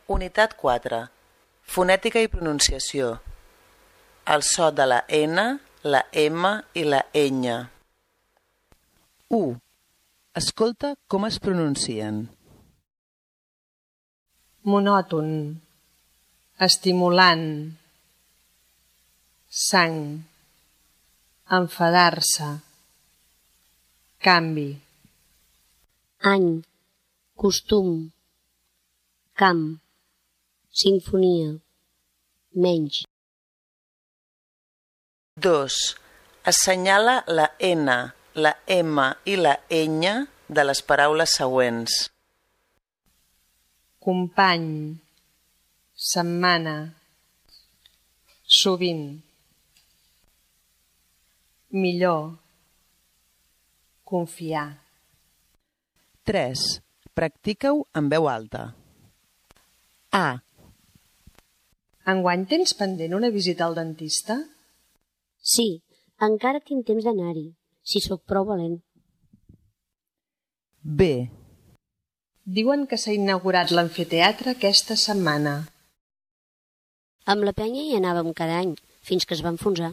Unitat 4. Fonètica i pronunciació. El so de la N, la M i la ñ. 1. Escolta com es pronuncien. Monòton, estimulant, sang, enfadar-se, canvi. Any, costum, camp, simfonia, menys. 2. Assenyala la N, la M i la ñ de les paraules següents. Company, setmana, sovint, millor, confiar. 3. Practica-ho en veu alta. A. Enguany tens pendent una visita al dentista? Sí, encara tinc temps d'anar-hi, si sóc prou valent. B. Diuen que s'ha inaugurat l'amfiteatre aquesta setmana. Amb la penya hi anàvem cada any, fins que es va enfonsar.